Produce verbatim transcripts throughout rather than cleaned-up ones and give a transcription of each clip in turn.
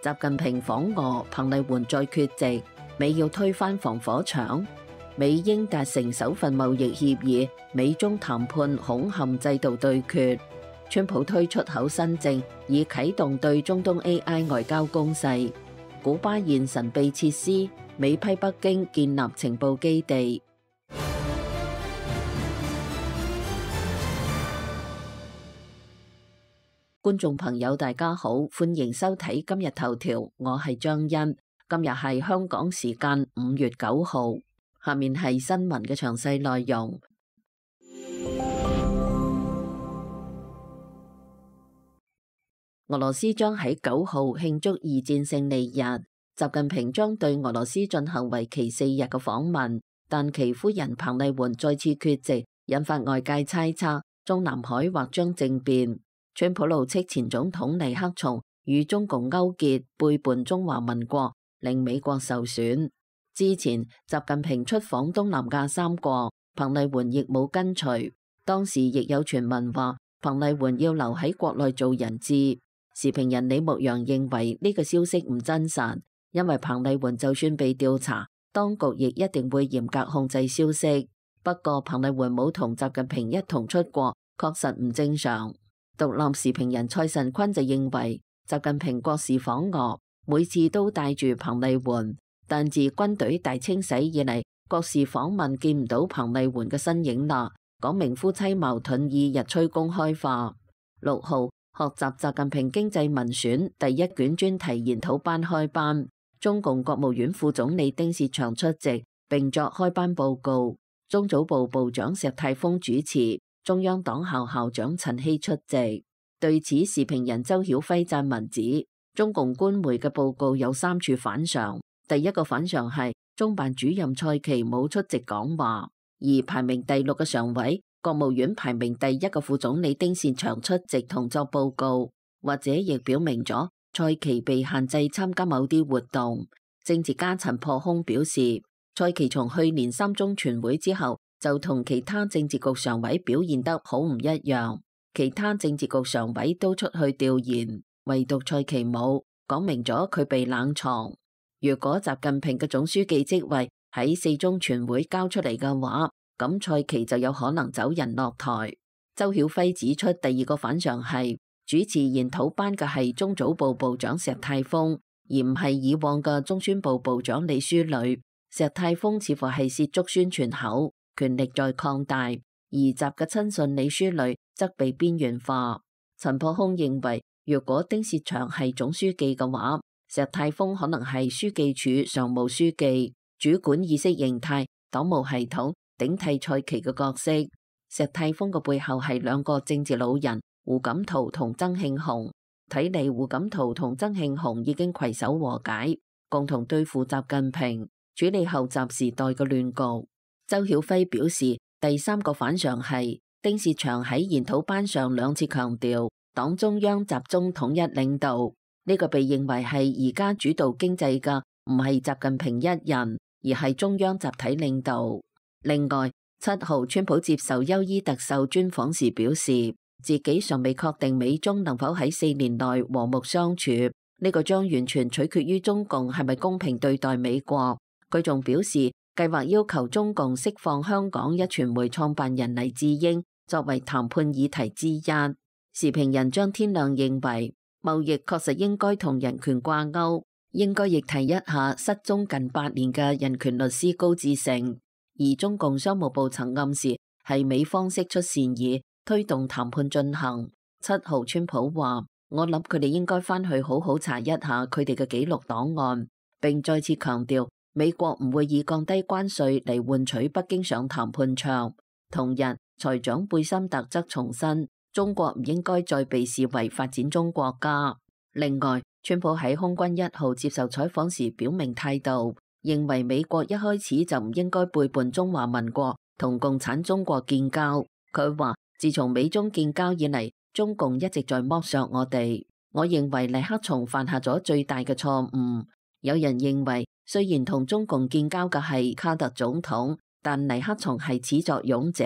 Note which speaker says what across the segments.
Speaker 1: 習近平訪俄，彭麗媛再缺席，美要推翻防火牆。美英達成首份貿易協議，美中談判恐陷制度對決。川普推出口新政，以啟動對中東 A I 外交攻勢。古巴現神秘設施，美批北京建立情報基地。觀眾朋友大家好，歡迎收睇今日頭條，我係張欣。今日係香港時間五月九號，下面係新聞嘅詳細內容。俄羅斯將喺九號慶祝二戰勝利日，習近平將對俄羅斯進行為期四日嘅訪問，但其夫人彭麗媛再次缺席，引發外界猜測中南海或將政變。川普怒斥前總統尼克松與中共勾結，背叛中華民國，令美國受損。之前習近平出訪東南亞三國，彭麗媛亦冇跟隨。當時亦有傳聞話彭麗媛要留喺國內做人質。時評人李牧陽認為呢個消息唔真實，因為彭麗媛就算被調查，當局亦一定會嚴格控制消息。不過彭麗媛冇同習近平一同出國，確實唔正常。獨立時評人蔡慎坤就認為，習近平國事訪俄，每次都帶住彭麗媛，但自軍隊大清洗以嚟，國事訪問見唔到彭麗媛嘅身影啦，講明夫妻矛盾已日趨公開化。六號，學習習近平經濟民選第一卷專題研討班開班，中共國務院副總理丁薛祥出席並作開班報告，中組部部長石泰峰主持，中央黨校校長陳希出席。對此，時評人周曉輝撰文指，中共官媒嘅報告有三處反常。第一個反常係中辦主任蔡奇冇出席講話，而排名第六嘅常委，國務院排名第一嘅副總理丁薛祥出席同作報告，或者亦表明咗蔡奇被限制參加某啲活動。政治家陳破空表示，蔡奇從去年三中全會之後就同其他政治局常委表現得好唔一樣，其他政治局常委都出去調研，唯獨蔡奇冇，講明咗佢被冷藏。如果習近平嘅總書記職位喺四中全會交出嚟嘅話，咁蔡奇就有可能走人落台。周曉輝指出，第二個反常係主持研討班嘅係中組部部長石泰峰，而唔係以往嘅中宣部部長李書磊。石泰峰似乎係涉足宣傳口，權力在擴大，而習嘅親信李書磊則被邊緣化。陳破空認為，如果丁薛祥係總書記嘅話，石泰峰可能係書記處常務書記，主管意識形態、黨務系統，頂替蔡奇嘅角色。石泰峰嘅背後係兩個政治老人胡錦濤同曾慶紅，睇嚟胡錦濤同曾慶紅已經攜手和解，共同對付習近平，處理後習時代嘅亂局。周曉輝表示，第三個反常係丁薛祥喺研討班上兩次強調黨中央集中統一領導，呢個被認為係而家主導經濟嘅唔係習近平一人，而係中央集體領導。另外，七號川普接受邱伊特秀專訪時表示，自己尚未確定美中能否喺四年內和睦相處，呢個將完全取決於中共係咪公平對待美國。佢仲表示，計劃要求中共釋放香港一傳媒創辦人黎智英作為談判議題之一。時評人張天亮認為，貿易確實應該同人權掛鈎，應該亦提一下失蹤近八年嘅人權律師高志成。而中共商務部曾暗示係美方釋出善意，推動談判進行。七號川普話，我諗佢哋應該返去好好查一下佢哋嘅記錄檔案，並再次強調美國唔會以降低關稅嚟換取北京上談判桌。同日，財長貝森特則重申，中國唔應該再被視為發展中國家。另外，川普喺空軍一號接受採訪時表明態度，認為美國一開始就唔應該背叛中華民國同共產中國建交。佢話，自從美中建交以嚟，中共一直在剝削我哋。我認為尼克松犯下咗最大嘅錯誤。有人認為，雖然同中共建交嘅係卡特總統，但尼克松係始作俑者。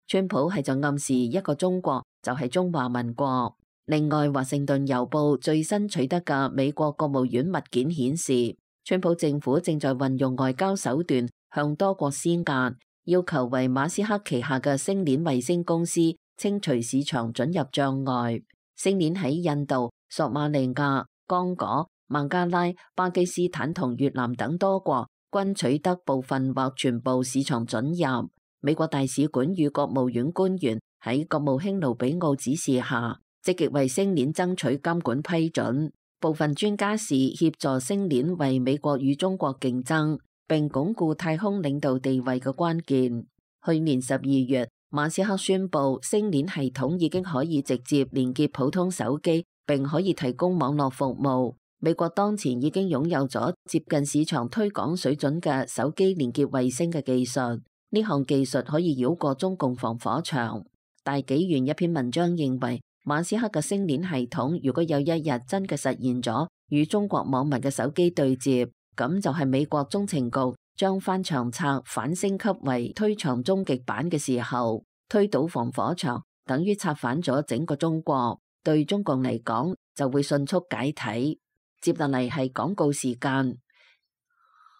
Speaker 1: 川普係就暗示一個中國就係中華民國。另外，華盛頓郵報最新取得嘅美國國務院物件顯示，川普政府正在運用外交手段向多國施壓，要求為馬斯克旗下嘅星鏈衛星公司清除市場准入障礙。星鏈喺印度、索馬利亞、剛果、孟加拉、巴基斯坦同越南等多國均取得部分或全部市場准入。美國大使館與國務院官員喺國務卿盧比奧指示下，積極為星鏈爭取監管批准。部分專家視協助星鏈為美國與中國競爭並鞏固太空領導地位嘅關鍵。去年十二月，馬斯克宣布星鏈系統已經可以直接連結普通手機，並可以提供網絡服務。美國當前已經擁有咗接近市場推廣水準嘅手機連結衛星嘅技術，呢項技術可以繞過中共防火牆。大紀元一篇文章認為，馬斯克嘅星鏈系統如果有一日真嘅實現咗與中國網民嘅手機對接，咁就係美國中情局將翻牆策反升級為推牆終極版嘅時候，推倒防火牆，等於策反咗整個中國，對中共嚟講就會迅速解體。接落嚟係廣告時間，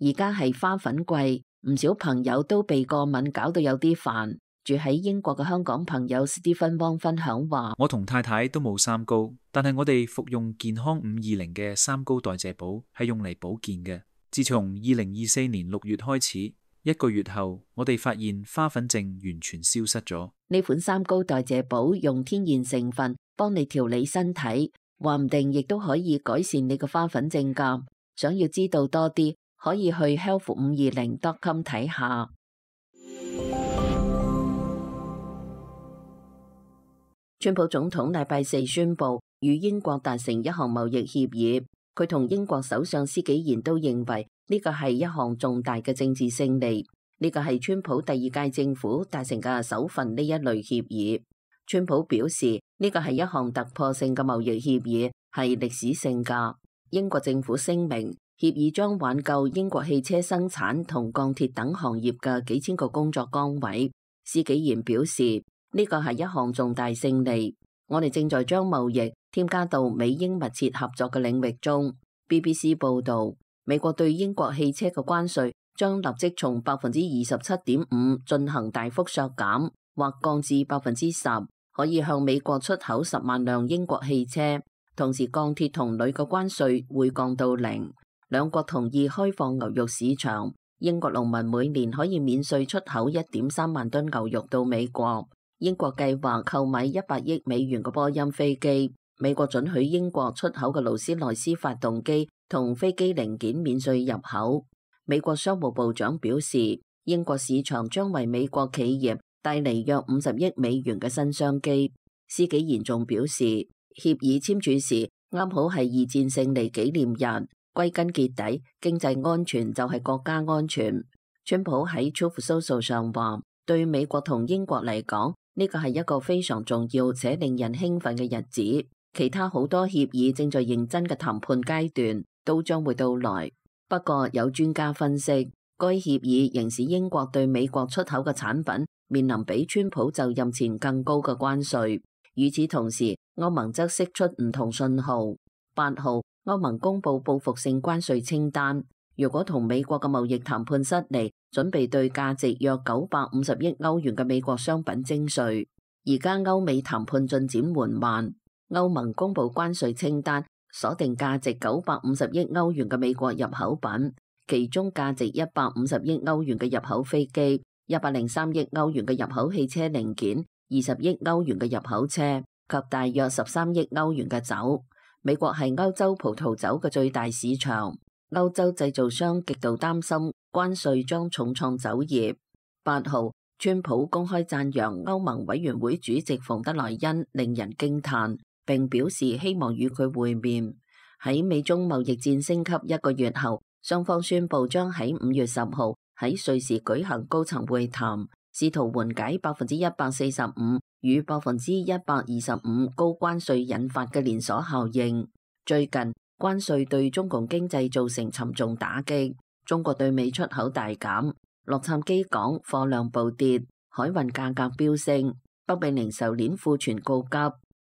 Speaker 1: 而家係花粉季，唔少朋友都被過敏搞到有啲煩。住喺英國嘅香港朋友史蒂芬汪分享話：
Speaker 2: 我同太太都冇三高，但係我哋服用健康五二零嘅三高代謝寶係用嚟保健嘅。自從二零二四年六月開始，一個月後我哋發現花粉症完全消失咗。
Speaker 1: 呢款三高代謝寶用天然成分幫你調理身體，話唔定亦都可以改善你嘅花粉症㗎。想要知道多啲，可以去 health 五二零 dot com 睇下。川普總統禮拜四宣布與英國達成一項貿易協議，佢同英國首相施紀賢都認為呢個係一項重大嘅政治勝利。呢個係川普第二屆政府達成嘅首份呢一類協議。川普表示呢個係一項突破性嘅貿易協議，係歷史性㗎。英國政府聲明，協議將挽救英國汽車生產同鋼鐵等行業嘅幾千個工作崗位。施紀賢表示，呢個係一項重大勝利，我哋正在將貿易添加到美英密切合作嘅領域中。B B C 報導，美國對英國汽車嘅關稅將立即從百分之二十七點五進行大幅削減，或降至百分之十，可以向美國出口十萬輛英國汽車。同時，鋼鐵同鋁嘅關稅會降到零。兩國同意開放牛肉市場，英國農民每年可以免稅出口一點三萬噸牛肉到美國。英國計劃購買一百億美元嘅波音飛機，美國准許英國出口嘅勞斯萊斯發動機同飛機零件免稅入口。美國商務部長表示，英國市場將為美國企業帶嚟約五十億美元嘅新商機。施紀賢仲表示，協議簽署時啱好係二戰勝利紀念日，歸根結底，經濟安全就係國家安全。川普喺 Truth Social 上話，對美國同英國嚟講，呢個係一個非常重要且令人興奮嘅日子，其他好多協議正在認真嘅談判階段，都將會到來。不過有專家分析，該協議仍使英國對美國出口嘅產品面臨比川普就任前更高嘅關稅。與此同時，歐盟則釋出唔同信號。八號，歐盟公布報復性關稅清單，如果同美國嘅貿易談判失利，準備對價值約九百五十億歐元嘅美國商品徵稅。而家歐美談判進展緩慢，歐盟公布關稅清單，鎖定價值九百五十億歐元嘅美國入口品，其中價值一百五十億歐元嘅入口飛機、一百零三億歐元嘅入口汽車零件、二十億歐元嘅入口車及大約十三億歐元嘅酒。美國係歐洲葡萄酒嘅最大市場，歐洲製造商極度擔心關稅將重創酒業。八號，川普公開讚揚歐盟委員會主席馮德萊恩令人驚嘆，並表示希望與佢會面。喺美中貿易戰升級一個月後，雙方宣布將喺五月十號喺瑞士舉行高層會談，試圖緩解百分之一百四十五與百分之一百二十五高關稅引發嘅連鎖效應。最近關稅對中共經濟造成沉重打擊，中國對美出口大減，洛杉磯港貨量暴跌，海運價格飆升，北美零售鏈庫存告急。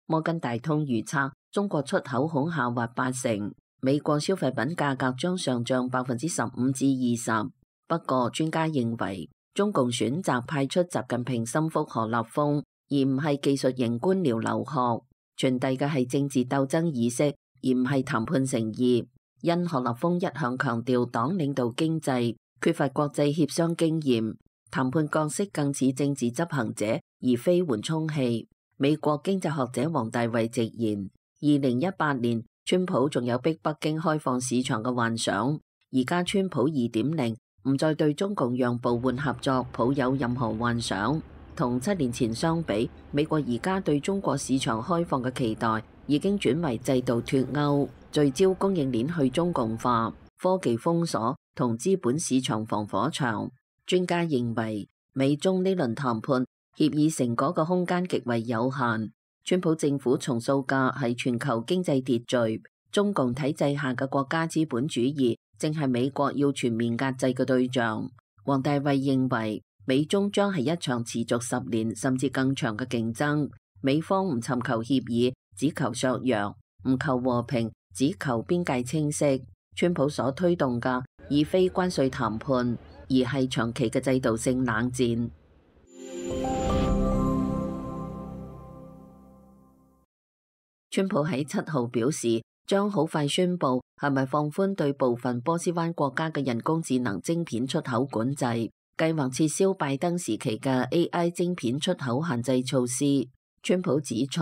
Speaker 1: 摩根大通預測中國出口恐下滑八成，美國消費品價格將上漲百分之十五至二十。不過專家認為，中共選擇派出習近平心腹何立峰，而唔係技術型官僚劉鶴，傳遞嘅係政治鬥爭意識，而唔係談判誠意。因何立峰一向強調黨領導經濟，缺乏國際協商經驗，談判角色更似政治執行者，而非緩衝器。美國經濟學者王大衛直言，二零一八年川普仲有逼北京開放市場嘅幻想，而家川普二點零唔再對中共讓步換合作抱有任何幻想。同七年前相比，美國而家對中國市場開放嘅期待已經轉為制度脫鈎，聚焦供應鏈去中共化、科技封鎖同資本市場防火牆。專家認為，美中呢輪談判協議成果嘅空間極為有限。川普政府重塑嘅係全球經濟秩序，中共體制下嘅國家資本主義正係美國要全面壓制嘅對象。王大衛認為，美中將係一場持續十年甚至更長嘅競爭。美方唔尋求協議，只求削弱；唔求和平，只求邊界清晰。川普所推動嘅，已非關稅談判，而係長期嘅制度性冷戰。川普喺七號表示，將好快宣布係咪放寬對部分波斯灣國家嘅人工智能晶片出口管制，計劃撤銷拜登時期嘅 A I 晶片出口限制措施。川普指出，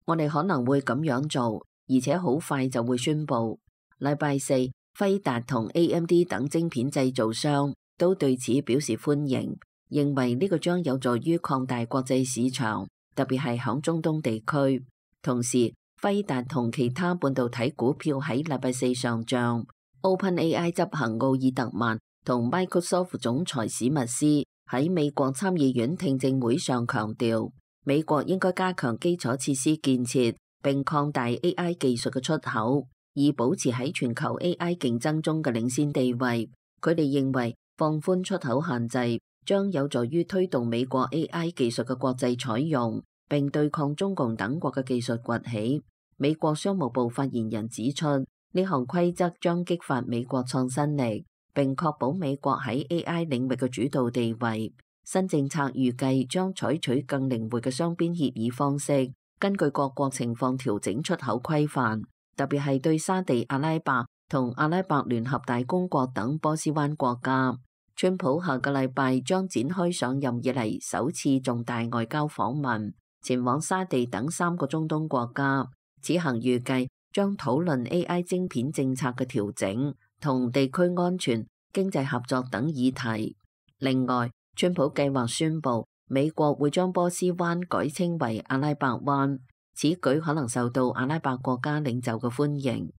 Speaker 1: 我哋可能會咁樣做，而且好快就會宣布。禮拜四，輝達同 A M D 等晶片製造商都對此表示歡迎，認為呢個將有助於擴大國際市場，特別係響中東地區。同時，輝達同其他半導體股票喺禮拜四上漲。OpenAI 執行奧爾特曼同 Microsoft 總裁史密斯喺美國參議院聽證會上強調，美國應該加強基礎設施建設，並擴大 A I 技術嘅出口，以保持喺全球 A I 競爭中嘅領先地位。佢哋認為放寬出口限制將有助於推動美國 A I 技術嘅國際採用，並對抗中共等國嘅技術崛起。美國商務部發言人指出，呢項規則將激發美國創新力，並確保美國喺 A I 領域嘅主導地位。新政策預計將採取更靈活嘅雙邊協議方式，根據各國情況調整出口規範，特別係對沙地阿拉伯同阿拉伯聯合大公國等波斯灣國家。川普下個禮拜將展開上任以嚟首次重大外交訪問，前往沙地等三個中東國家。此行預計將討論 A I 晶片政策嘅調整同地區安全、經濟合作等議題。另外，川普計劃宣布美國會將波斯灣改稱為阿拉伯灣，此舉可能受到阿拉伯國家領袖嘅歡迎。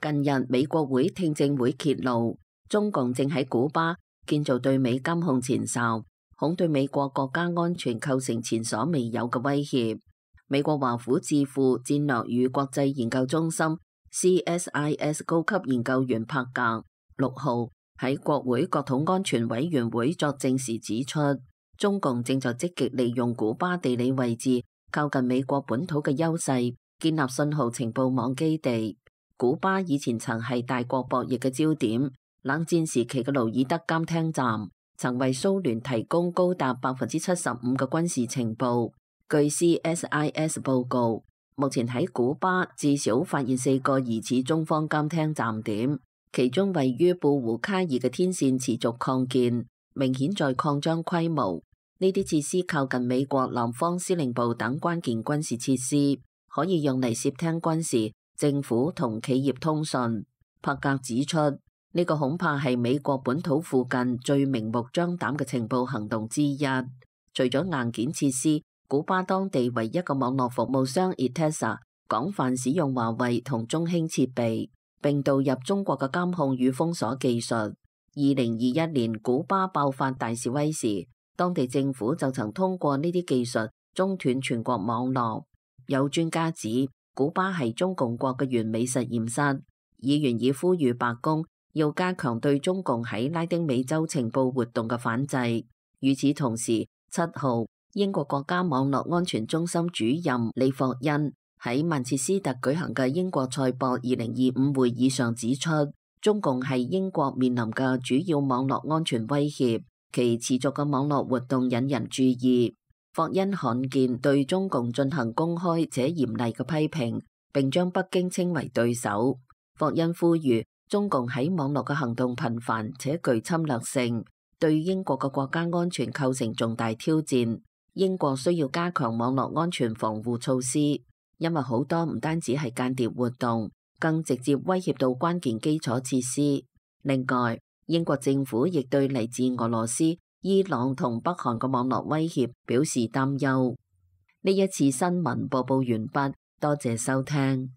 Speaker 1: 近日，美國會聽證會揭露，中共正喺古巴建造對美監控前哨，恐對美國國家安全構成前所未有嘅威脅。美國華府智庫戰略與國際研究中心 C S I S 高級研究員柏格六號喺國會國土安全委員會作證時指出，中共正在積極利用古巴地理位置靠近美國本土嘅優勢，建立信號情報網基地。古巴以前曾係大國博弈嘅焦點，冷戰時期嘅盧爾德監聽站曾為蘇聯提供高達百分之七十五嘅軍事情報。據 C S I S 報告，目前喺古巴至少發現四個疑似中方監聽站點，其中位於布胡卡爾嘅天線持續擴建，明顯在擴張規模。呢啲設施靠近美國南方司令部等關鍵軍事設施，可以用嚟竊聽軍事、政府同企業通訊。柏格指出，呢個恐怕係美國本土附近最明目張膽嘅情報行動之一。除咗硬件設施，古巴當地唯一嘅網絡服務商 Etesa 廣泛使用華為同中興設備，並導入中國嘅監控與封鎖技術。二零二一年古巴爆發大示威時，當地政府就曾通過呢啲技術中斷全國網絡。有專家指，古巴係中共國嘅完美實驗室。議員已呼籲白宮要加強對中共喺拉丁美洲情報活動嘅反制。與此同時，七號，英國國家網絡安全中心主任李霍恩喺曼徹斯特舉行嘅英國賽博二零二五會議上指出，中共係英國面臨嘅主要網絡安全威脅，其持續嘅網絡活動引人注意。霍恩罕見對中共進行公開且嚴厲嘅批評，並將北京稱為對手。霍恩呼籲中共喺網絡嘅行動頻繁且具侵略性，對英國嘅國家安全構成重大挑戰。英國需要加強網絡安全防護措施，因為好多唔單止係間諜活動，更直接威脅到關鍵基礎設施。另外，英國政府亦對嚟自俄羅斯、伊朗同北韓嘅網絡威脅表示擔憂。呢一次新聞播報完畢，多謝收聽。